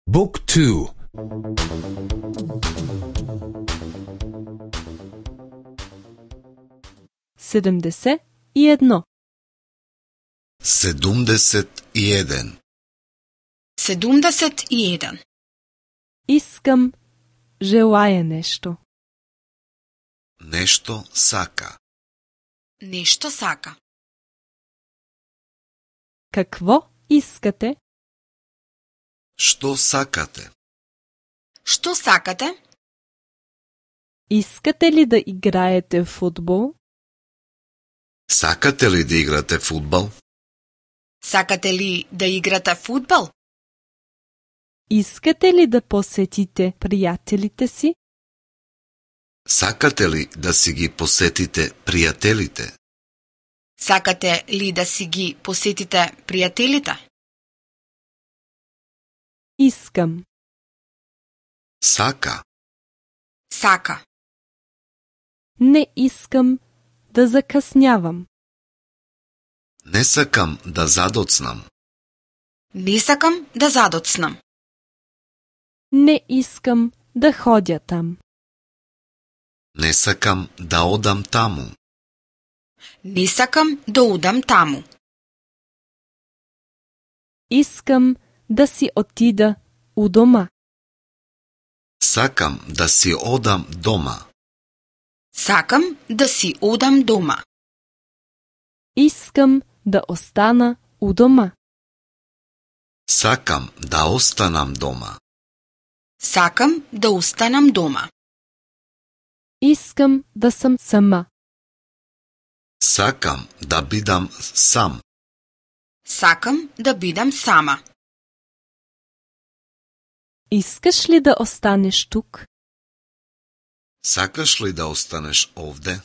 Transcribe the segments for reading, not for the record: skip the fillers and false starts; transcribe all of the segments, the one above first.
Book 2. 71. 71. 71. Искам, желая нешто. Нешто сака. Нешто сака. Какво искате? Што сакате? Што сакате? Искате ли да играете фудбал? Сакате ли да играте фудбал? Сакате ли да играте фудбал? Искате ли да посетите пријателите си? Сакате ли да си ги посетите пријателите? Сакате ли да си ги посетите пријателите? Искам. Сака. Сака. Не искам да закъснявам. Не сакам да задоцнам. Не сакам да задоцнам. Не искам да ходя там. Не сакам да одам таму. Не сакам да одам таму. Искам да си отида у дома. Сакам да си одам дома. Сакам да си одам дома. Искам да остана у дома. Сакам да останам дома. Сакам да останам дома. Искам да сам сама. Сакам да бидам сам. Сакам да бидам сама. Искаш ли да останеш тук? Сакаш ли да останеш овде?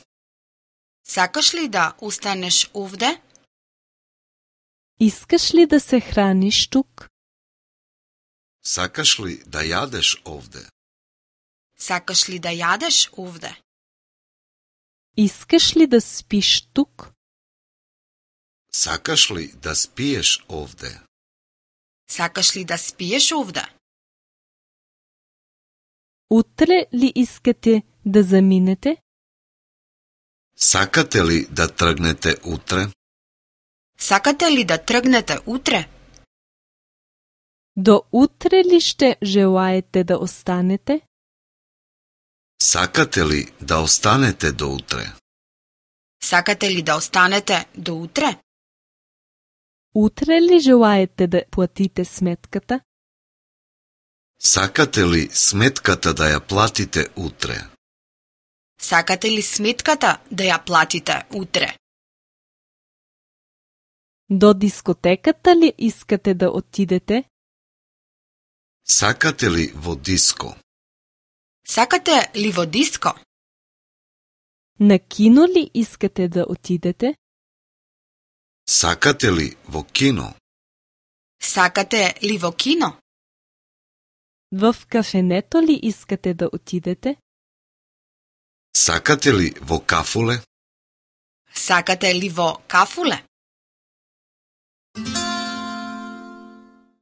Сакаш ли да останеш овде? Искаш ли да се храниш тук? Сакаш ли да јадеш овде? Сакаш ли да јадеш овде? Искаш ли да спиш тук? Сакаш ли да спиеш овде? Сакаш ли да спиеш овде? Утре ли искате да заминете? Сакате ли да тргнете утре? Сакате ли да тргнете утре? До утре ли ще желаете да останете? Сакате ли да останете до утре? Сакате ли да останете до утре? Утре ли желаете да платите сметката? Сакате ли сметката да ја платите утре? Сакате ли сметката да ја платите утре? До дискотеката ли искате да отидете? Сакате ли во диско? Сакате ли во диско? На кино ли искате да отидете? Сакате ли во кино? Сакате ли во кино? В кафенето ли искате да отидете? Сакате ли во кафуле? Сакате ли во кафуле?